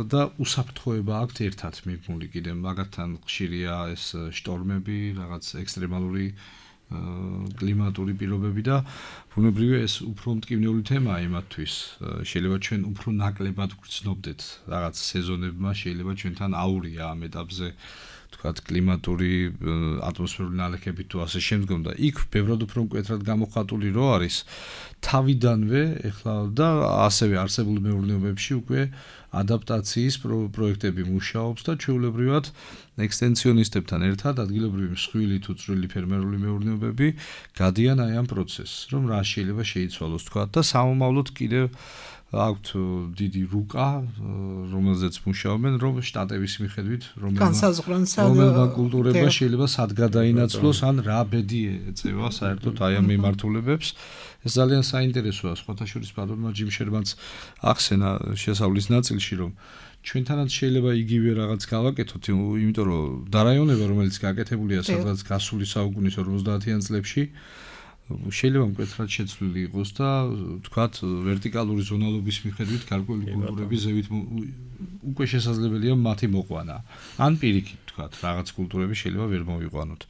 და უსაფრთხოება აქვთ ერთად მიბმული კიდე მაგათთან ხშირია ეს შტორმები, რაღაც ექსტრემალური კლიმატური პირობები და ბუნებრივია ეს უფრო მტკივნეული თემაა იმათთვის. შეიძლება ჩვენ უფრო ნაკლებად გვგრძნობდეთ რაღაც სეზონებმა, შეიძლება ჩვენთან აურია ამ ეტაპზე თქვათ კლიმატური ატმოსფერული ნალექები თუ ასე შემდგომ და იქ ბევრად უფრო მკვეთრად გამოხატული რო არის თავიდანვე ეხლა და ასევე არსებული მეურნეობებში უკვე ადაპტაციის პროექტები მუშაობს და ჩვეულებრივად ექსტენსიონისტებთან ერთად ადგილობრივი მსხვილი თუ წვრილი ფერმერული მეურნეობები გადიან აი ამ პროცესს, რომ რა შეიძლება შეიცვალოს თქვათ და სამომავლოდ კიდევ აქვთ დიდი რუკა, რომელზეც მუშაობენ, რომ შტატების მიხედვით რომელმა კულტურება შეიძლება სად გადაინაცვლოს, ან რა ბედი ეწევა საერთოდ აი ამ მიმართულებებს. ეს ძალიან საინტერესოა, სხვათა შორის ბატონმა ჯიმ შერმანს ახსენა შესავლის ნაწილში, რომ ჩვენთანაც შეიძლება იგივე რაღაც გავაკეთოთ, იმიტომ რომ დარაიონება, რომელიც გაკეთებულია სადღაც გასული საუკუნის 50-იან წლებში შეიძლება მკვეთრად შეცვლილი იყოს და თქვათ ვერტიკალური ზონალობის მიხედვით გარკვეული კულტურები ზევით უკვე შესაძლებელია მათი მოყვანა. ან პირიქით თქვათ რაღაც კულტურები შეიძლება ვერ მოვიყვანოთ.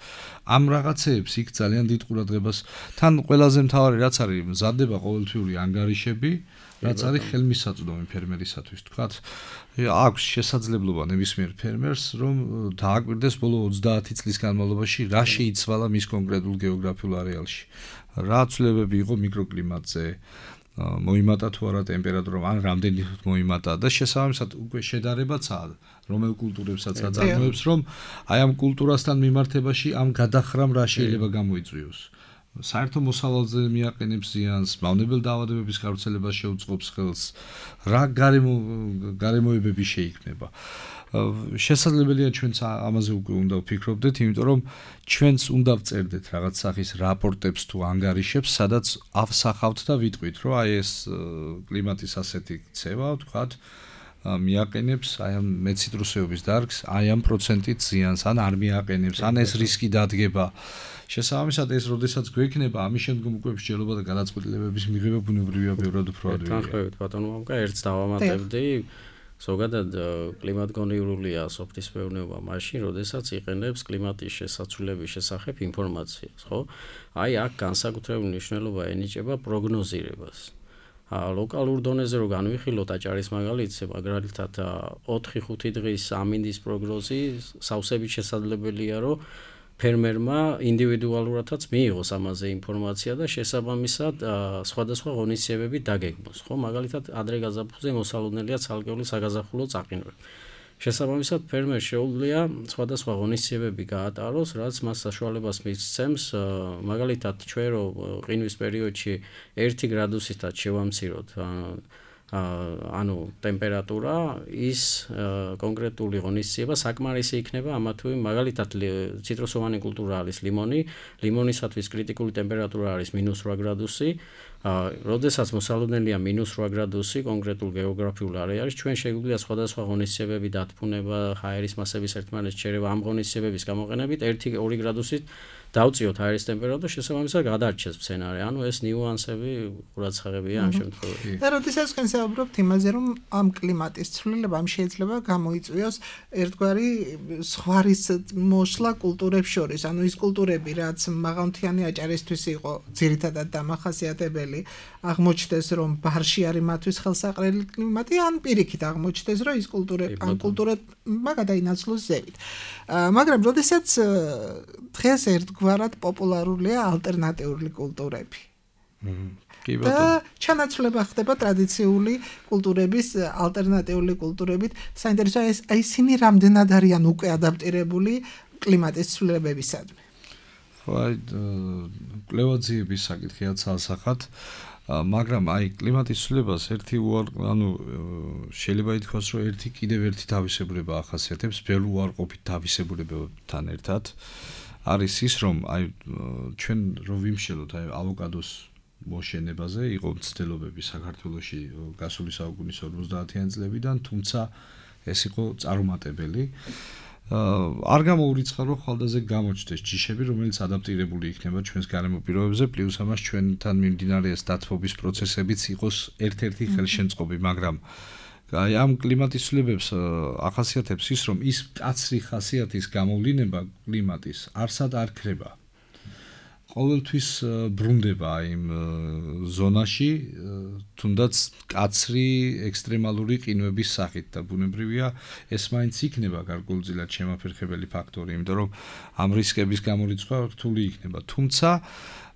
ამ რაღაცეებს იქ ძალიან დიდ ყურადღებას თან ყველაზე მთავარი რაც არის მზადდება ყოველთვიური ანგარიშები, რაც არის ხელმისაწვდომი ფერმერისათვის თქვათ. აქვს შესაძლებლობა ნებისმიერ ფერმერს რომ დააკვირდეს ბოლო 30 წლის განმავლობაში რა შეიცვალა მის კონკრეტულ გეოგრაფიულ არეალში. რა ცვლილებები იყო მიკროკლიმატზე, მოიმატა თუ არა ტემპერატურა, ან რამდენი მოიმატა და შესაბამისად უკვე შედარებაცაა რომელ კულტურებსაც აწარმოებს, რომ აი ამ კულტურასთან მიმართებაში ამ გადახრამ რა შეიძლება გამოიწვიოს. საერთო მოსავალზე მიაყენებს ზიანს, მავნებელ დაავადებების გავრცელებას შეუწყობს ხელს, რა გარემოებები შეიქმნება. შესაძლებელია ჩვენც ამაზე უკვე უნდა ვფიქრობდეთ, იმიტომ რომ ჩვენც უნდა ვწერდეთ რაღაც სახის რაპორტებს თუ ანგარიშებს, სადაც ავსახავთ და ვიტყვით, რომ აი ეს კლიმატის ასეთი ქცევა, ვთქვათ, მიაყენებს აი ამ მეციტრუსეობის დარგს, აი ამ პროცენტით ზიანს, ან არ მიაყენებს, ან ეს რისკი დადგება. შესაბამისად ეს როდესაც გვექნება, ამის შემდგომ უკვე მსჯელობა და გადაწყვეტილებების მიღება ბუნებრივია ბევრად უფრო ადვილია. თანხმებით ბატონო მამკა, ერთს დავამატებდი. ზოგადად კლიმატგონიურულია სოფლის მეურნეობა მაშინ, როდესაც იყენებს კლიმატის შესაცვლელების შესახებ ინფორმაციას, ხო? აი აქ განსაკუთრებული მნიშვნელობა ენიჭება პროგნოზირებას. ლოკალურ დონეზე რო განვიხილოთ აჭარის მაგალითზე, მაგალითად 4-5 დღის ამინდის პროგნოზი სავსებით შესაძლებელია, რომ ფერმერმა ინდივიდუალურადაც მიიღოს ამაზე ინფორმაცია და შესაბამისად სხვადასხვა ღონისძიებები დაგეგმოს, ხო? მაგალითად, ადრე გაზაფხულზე მოსალოდნელია ცალკეული საგაზაფხულო წაყინვები. შესაბამისად, ფერმერს შეუძლია სხვადასხვა ღონისძიებები გაატაროს, რაც მას საშუალებას მისცემს, მაგალითად, ჩვენ რო ყინვის პერიოდში 1 გრადუსითაც შევამციროთ ანუ ტემპერატურა ის კონკრეტული ღონისძიება საკმარისი იქნება ამა თუ იმ მაგალითად ციტრუსოვანი კულტურა არის ლიმონი, ლიმონისათვის კრიტიკული ტემპერატურა არის -8 გრადუსი, როდესაც მოსალოდნელია -8 გრადუსი კონკრეტულ გეოგრაფიულ არეალში, ჩვენ შეგვიძლია სხვადასხვა ღონისძიებები დათბუნება, ჰაერის მასების ერთმანეთს შერევა ამ ღონისძიებების გამოყენებით 1-2 გრადუსით დავწიოთ ჰაერის ტემპერატურა, შესაბამისად გადარჩეს მცენარე. ანუ ეს ნიუანსები ყურადღებია ამ შემთხვევაში. და როდესაც თქვენ საუბრობთ იმაზე, რომ ამ კლიმატის ცვლილებამ შეიძლება გამოიწვიოს ერთგვარი სხვარის მოსვლა კულტურებს შორის, ანუ ის კულტურები, რაც მაღალმთიანი აჭარისთვის იყო ძირითადად დამახასიათებელი, აღმოჩნდეს, რომ ბარში არის მათთვის ხელსაყრელი კლიმატი, ან პირიქით აღმოჩნდეს, რომ ის კულტურებმა გადაინაცვლოს ზევით. მაგრამ როდესაც დღეს ერთგვარად პოპულარულია ალტერნატიული კულტურები. და ჩანაცვლება ხდება ტრადიციული კულტურების ალტერნატიული კულტურებით. საინტერესოა ეს ისინი რამდენად არიან უკვე ადაპტირებული კლიმატის ცვლილებებისადმი. ხო, აი კვლევაძიების საკითხია ცალსახად, მაგრამ აი კლიმატის ცვლილებას შეიძლება ითქვას, რომ კიდევ ერთი თავისებურება ახასიათებს ბევრ უარყოფით თავისებურებებთან ერთად. არის ის, რომ აი ჩვენ რო ვიმშელოთ აი ავოკადოს მოშენებაზე, იყო მცდელობები საქართველოში გასული საუკუნის 50-იან წლებიდან, თუმცა ეს იყო წარუმატებელი. არ გამოურიცხა რომ ხალხაზე გამოჩნდეს ჯიშები, რომელიც ადაპტირებული იქნება ჩვენს გარემო პირობებზე, პლუს ამას ჩვენთან მიმდინარე დათბობის პროცესებიც იყოს ერთ-ერთი ხელშემწყობი, მაგრამ აი ამ კლიმატის ცვლილებებს ახასიათებს ის, რომ ის კაცრი ხასიათის გამოვლინება კლიმატის არსად არ ქრება. ყოველთვის ბრუნდება იმ ზონაში, თუნდაც კაცრი ექსტრემალური ყინვების სახით და ბუნებრივია ეს მაინც იქნება გარკვეულწილად შემაფერხებელი ფაქტორი, იმიტომ რომ ამ რისკების გამორიცხვა რთული იქნება. თუმცა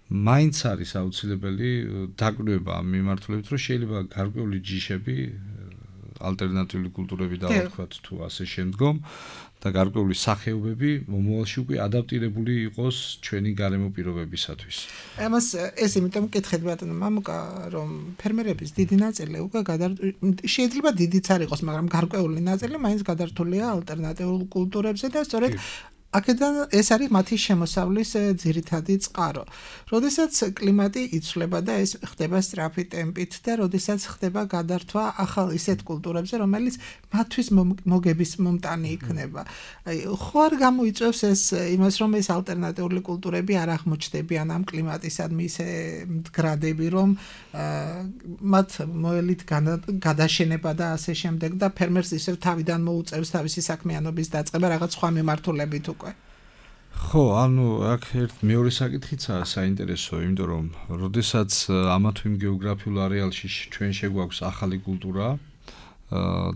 მაინც არის აუცილებელი დაკვირვება ამ მიმართულებით, რომ შეიძლება გარკვეული ჯიშები ალტერნატიული კულტურები დავარქვათ თუ ასე შემდგომ და გარკვეული სახეობები მომავალში უკვე ადაპტირებული იყოს ჩვენი გარემო პირობებისათვის. ამას ეს იმიტომ მკითხეთ ბატონო მამუკა, რომ ფერმერების დიდი ნაწილი უკვე შეიძლება დიდიც არ იყოს, მაგრამ გარკვეული ნაწილი მაინც გადართულია ალტერნატიულ კულტურებზე და სწორედ აქედან ეს არის მათი შემოსავლის ძირითადი წყარო. როდესაც კლიმატი იცვლება და ეს ხდება სწრაფი ტემპით და როდესაც ხდება გადართვა ახალ ისეთ კულტურებზე, რომელიც მათთვის მოგების მომტანი იქნება. ხო არ გამოიწვევს ეს იმას, რომ ეს ალტერნატიული კულტურები არ აღმოჩნდებიან ამ კლიმატისადმი ისე მდგრადები, რომ მათ მოელით გადაშენება და ასე შემდეგ და ფერმერს ისევ თავიდან მოუწევს თავისი საქმიანობის დაწყება რაღაც სხვა მიმართულებით უკვე. ხო, ანუ აქ მეორე საკითხიცაა საინტერესო, იმიტომ რომ როდესაც ამა თუ იმ გეოგრაფიულ არეალში ჩვენ შეგვაქვს ახალი კულტურა,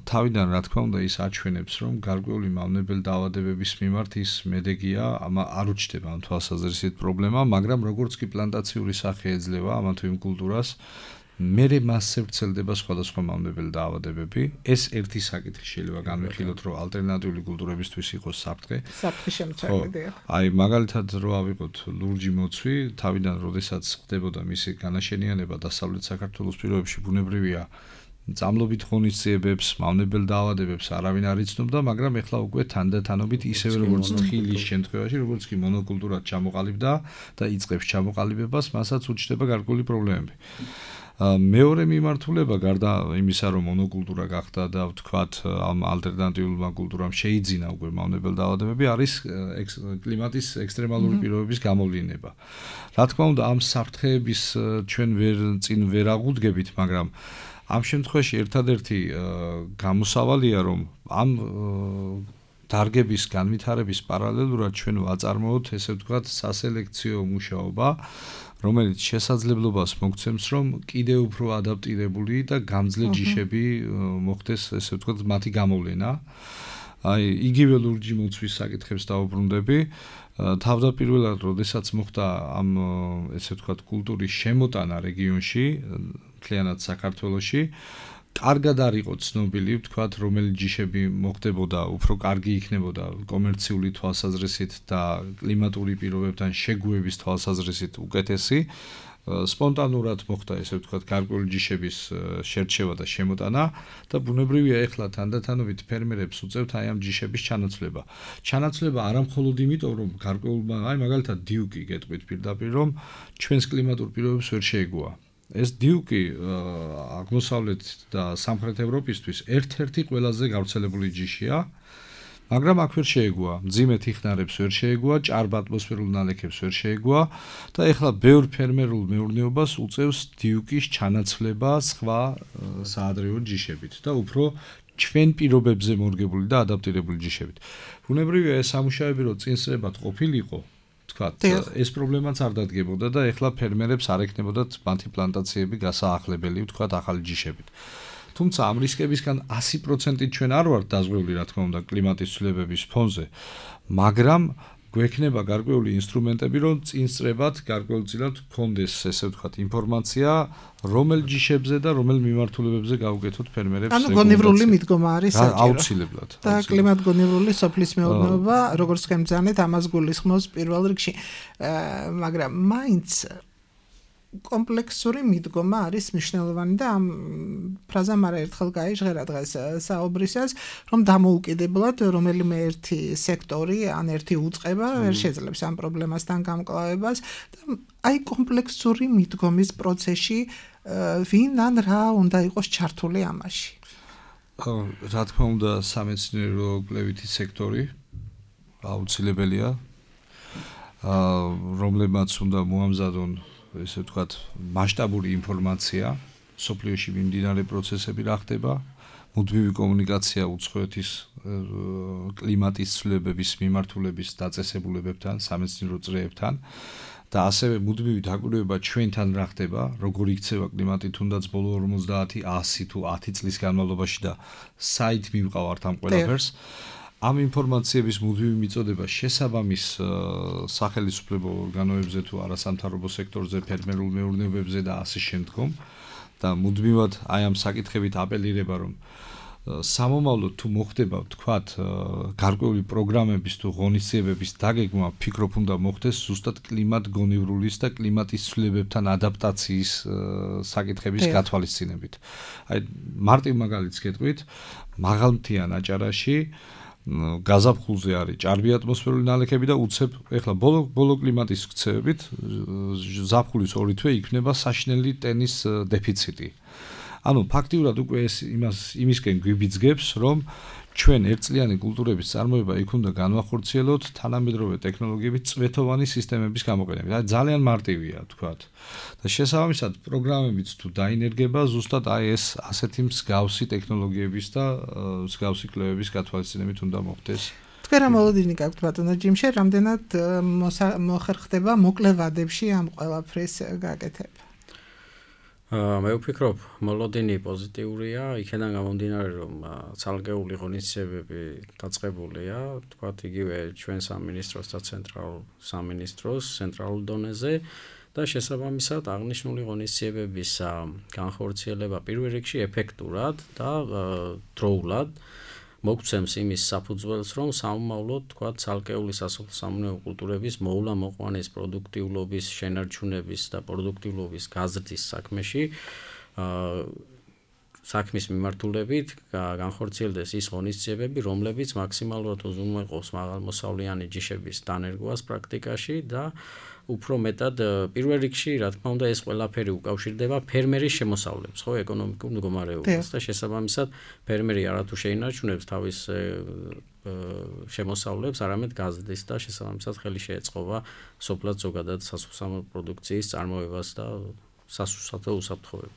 თავიდან რა თქმა უნდა ის აჩვენებს, რომ გარკვეული მავნებელ დაავადებების მიმართ ის მედეგია, არ უჩნდება ამ თვალსაზრისით პრობლემა, მაგრამ როგორც კი პლანტაციური სახე ეძლევა ამა თუ იმ კულტურას, მერე მასზე ვრცელდება სხვადასხვა მავნებელი დაავადებები. ეს ერთი საკითხი შეიძლება განვიხილოთ, რომ ალტერნატიული კულტურებისთვის იყოს საფრთხე. საფრთხე შემცველია. აი, მაგალითად რო ავიღოთ ლურჯი მოცვი, თავიდან როდესაც ხდებოდა მისი განაშენიანება დასავლეთ საქართველოს პირობებში, ბუნებრივია წამლობით ღონისძიებებს, მავნებელ დაავადებებს არავინ არ იცნობდა, მაგრამ ეხლა უკვე თანდათანობით ისევე როგორც თხილის შემთხვევაში, როგორც კი მონოკულტურად ჩამოყალიბდა და იწყებს ჩამოყალიბებას, მასაც უჩნდება გარკვეული პრობლემები. მეორე მიმართულება გარდა იმისა, რომ მონოკულტურა გახდა და ვთქვათ, ამ ალტერნატიულმა კულტურამ შეიძინა უკვე მავნებელ დაავადებები, არის კლიმატის ექსტრემალური პირობების გამოვლინება. რა თქმა უნდა, ამ საფრთხეების ჩვენ წინ ვერ აღუდგებით, მაგრამ ამ შემთხვევაში ერთადერთი გამოსავალია, რომ ამ დარგების განვითარების პარალელურად ჩვენ ვაწარმოოთ, ესე ვთქვათ, სასელექციო მუშაობა, რომელიც შესაძლებლობას მოგცემს, რომ კიდევ უფრო ადაპტირებული და გამძლე ჯიშები მოხდეს, ესე ვთქვათ, მათი გამოვლენა. აი, იგივე ლურჯი მოცვის საკითხებს დავუბრუნდები. თავდაპირველად, როდესაც მოხდა ამ, ესე ვთქვათ, კულტურის შემოტანა რეგიონში, მთლიანად საქართველოში, კარგად არ იყო ცნობილი, ვთქვათ, რომელი ჯიშები მოხდებოდა, უფრო კარგი იქნებოდა კომერციული თვალსაზრისით და კლიმატური პირობებთან შეგუების თვალსაზრისით უკეთესი. სპონტანურად მოხდა, ესე ვთქვათ, გარკვეული ჯიშების შერჩევა და შემოტანა და ბუნებრივია ეხლა თანდათანობით ფერმერებს უწევთ აი ამ ჯიშების ჩანაცვლება. ჩანაცვლება არა მხოლოდ იმიტომ, რომ გარკვეულმა, აი მაგალითად დიუკი გეტყვით პირდაპირ, რომ ჩვენს კლიმატურ პირობებს ვერ შეეგუა. ეს დიუკი აღმოსავლეთ და სამხრეთ ევროპისთვის ერთ-ერთი ყველაზე გავრცელებული ჯიშია, მაგრამ აქ ვერ შეეგუა, მძიმე თიხნარებს ვერ შეეგუა, ჭარბ ატმოსფერულ ნალექებს ვერ შეეგუა და ეხლა ბევრ ფერმერულ მეურნეობას უწევს დიუკის ჩანაცვლება სხვა საადრეო ჯიშებით და უფრო ჩვენ პირობებზე მორგებული და ადაპტირებული ჯიშებით. ბუნებრივია ეს სამუშაოები რო წინსრებად ყოფილიყო, თქვათ, ეს პრობლემაც არ დადგებოდა და ეხლა ფერმერებს არ ექნებოდათ მათი პლანტაციები გასაახლებელი, თქვათ, ახალი ჯიშებით. თუმცა ამ რისკებისგან 100%-ით ჩვენ არ ვართ დაზღვეული, რა თქმა უნდა, კლიმატის ცვლილებების ფონზე, მაგრამ გვექნება გარკვეული ინსტრუმენტები, რომ წინსწრებად გარკვეულწილად გქონდეს, ესე ვთქვათ, ინფორმაცია, რომელ ჯიშებზე და რომელ მიმართულებებზე გავუკეთოთ ფერმერებს. ანუ გონივრული მიდგომა არის საჭირო. აუცილებლად. და კლიმატგონივრული სოფლის მეურნეობა, როგორც ხემძანეთ, ამას გულისხმობს პირველ რიგში. მაგრამ მაინც კომპლექსური მიდგომა არის მნიშვნელოვანი და ამ ფრაზამ არაერთხელ გაიჟღერა დღეს საუბრისას, რომ დამოუკიდებლად რომელიმე ერთი სექტორი ან ერთი უწყება ვერ შეძლებს ამ პრობლემასთან გამკლავებას და აი კომპლექსური მიდგომის პროცესში ვინ ან რა უნდა იყოს ჩართული ამაში. რა თქმა უნდა, სამეცნიერო კვლევითი სექტორი აუცილებელია. რომლებმაც უნდა მოამზადონ, ესე ვთქვათ, მასშტაბური ინფორმაცია, სოფლიოში მიმდინარე პროცესები რა ხდება, მუდმივი კომუნიკაცია უცხოეთის კლიმატის ცვლილებების მიმართულების დაწესებულებებთან, სამეცნიერო წრეებთან და ასევე მუდმივი დაკვირვება ჩვენთან რა ხდება, როგორ იქცევა კლიმატი თუნდაც ბოლო 50, 100 თუ 10 წლის განმავლობაში და საით მივყავართ ამ ყველაფერს. ამ ინფორმაციების მუდმივი მიწოდება შესაბამის სახელმწიფო ორგანოებზე თუ არასამთავრობო სექტორზე, ფერმერულ მეურნეობებზე და ასე შემდგომ და მუდმივად აი ამ საკითხებით აპელირება, რომ სამომავლოდ თუ მოხდება, ვთქვათ, გარკვეული პროგრამების თუ ღონისძიებების დაგეგმა, ფიქრობ უნდა მოხდეს ზუსტად კლიმატგონივრულის და კლიმატის ცვლილებებთან ადაპტაციის საკითხების გათვალისწინებით. აი მარტივ მაგალითს გეტყვით, მაღალმთიან აჭარაში გაზაფხულზე არის ჭარბი ატმოსფერული ნალექები და უცებ ეხლა ბოლო კლიმატის ქცევებით ზაფხულის 2 თვე იქნება საშინელი ტენის დეფიციტი. ანუ ფაქტიურად უკვე ეს იმისკენ გვიბიძგებს, რომ ჩვენ ერთწლიანი კულტურების წარმოება იქ უნდა განვახორციელოთ თანამედროვე ტექნოლოგიებით წვეთოვანი სისტემების გამოყენებით. აი ძალიან მარტივია, თქვათ. და შესაბამისად პროგრამებიც თუ დაინერგება, ზუსტად აი ეს ასეთი მსგავსი ტექნოლოგიების და მსგავსი კვლევების გათვალისწინებით უნდა მოხდეს. თქვენ რა მოლოდინი გაქვთ ბატონო ჯიმშე, რამდენად მოხერხდება მოკლე ვადებში ამ ყველაფრის გაკეთება? მე ვფიქრობ, მოლოდინი პოზიტიურია, იქიდან გამომდინარე, რომ ცალკეული ღონისძიებები დაწყებულია, თქვათ იგივე ჩვენ სამინისტროს და ცენტრალურ სამინისტროს ცენტრალურ დონეზე და შესაბამისად აღნიშნული ღონისძიებების განხორციელება პირველ რიგში ეფექტურად და დროულად მოგცემს იმის საფუძველს, რომ სამომავლოდ, თქვათ, ცალკეული სასოფლო-სამეურნეო კულტურების მოვლა მოყვანის პროდუქტიულობის, შენარჩუნების და პროდუქტიულობის გაზრდის საქმეში საქმის მიმართულებით განხორციელდეს ის ღონისძიებები, რომლებიც მაქსიმალურად უზრუნველყოფს მაღალმოსავლიანი ჯიშების დანერგვას პრაქტიკაში და უფრო მეტად პირველ რიგში, რა თქმა უნდა, ეს ყველაფერი უკავშირდება ფერმერის შემოსავლებს, ხო, ეკონომიკურ მდგომარეობას და შესაბამისად ფერმერი არათუ შეინარჩუნებს თავის შემოსავლებს, არამედ გაზრდის და შესაბამისად ხელი შეეწყობა სოფლად ზოგადად სასოფლო პროდუქციის წარმოებას და სასუსათო უსაფრთხოებას.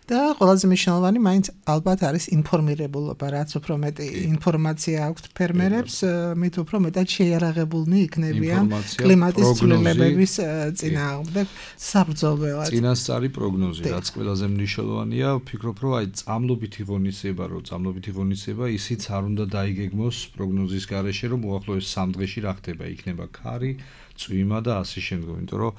და ყველაზე მნიშვნელოვანი მაინც ალბათ არის ინფორმირებულობა, რაც უფრო მეტი ინფორმაცია აქვს ფერმერებს, მით უფრო მეტად შეიარაღებულნი იქნებიან კლიმატის ცვლილებების წინააღმდეგ საბრძოლველად. წინასწარი პროგნოზი, რაც ყველაზე მნიშვნელოვანია, ვფიქრობ, რომ აი წამლობითი ღონისძიება, ისიც არ უნდა დაიგეგმოს პროგნოზის გარეშე, რომ უახლოეს 3 დღეში რა ხდება, იქნება ქარი, წვიმა და ასე შემდგომ, იმიტომ რომ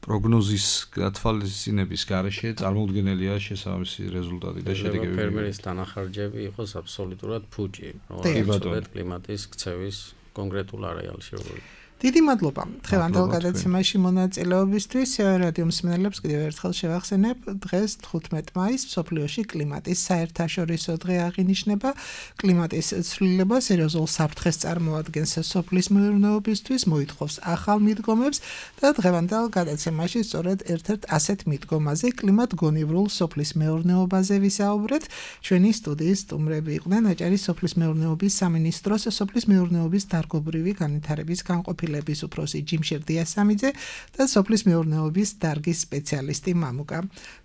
პროგნოზის გათვალისწინების გარეშე წარმოუდგენელია შესაბამისი რეზულტატი და შედეგები. ფერმერის დანახარჯები იყოს აბსოლუტურად ფუჭი, რომ კლიმატის ქცევის კონკრეტულ არეალში როგორ. დიდი მადლობა დღევანდელ გადაცემაში მონაწილეობისთვის. რადიო მსმენელებს კიდევ ერთხელ შევახსენებ, დღეს 15 მაისს მსოფლიოში კლიმატის საერთაშორისო დღე აღინიშნება. კლიმატის ცვლილება სერიოზულ საფრთხეს წარმოადგენს სოფლის მეურნეობისთვის, მოითხოვს ახალ მიდგომებს და დღევანდელ გადაცემაში სწორედ ერთ-ერთ ასეთ მიდგომაზე, კლიმატგონივრულ სოფლის მეურნეობაზე ვისაუბრეთ. ჩვენი სტუდიის სტუმრები იყვნენ აჭარის სოფლის მეურნეობის სამინისტროს სოფლის მეურნეობის დარგობრივი განვითარების განყოფილების უფროსი ჯიმშე დიასამიძე და სოფლის მეურნეობის დარგის სპეციალისტი მამუკა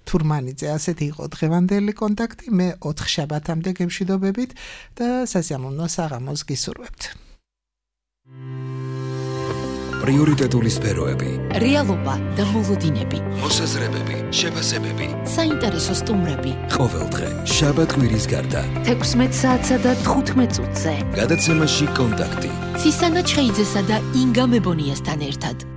თურმანიძე. ასეთი იყო დღევანდელი კონტაქტი. მე 4 შაბათამდე გემშვიდობებით და სასიამოვნო საღამოს გისურვებთ. პრიორიტეტული სფეროები, რეალობა და მოლოდინები, მოსაზრებები, შეფასებები, საინტერესო სტუმრები. ყოველ დღე შაბათ-კვირის გარდა 16 საათსა და 15 წუთზე. გადაცემაში კონტაქტი. ცისანა ჩხეიძესა და ინგა მებონიასთან ერთად.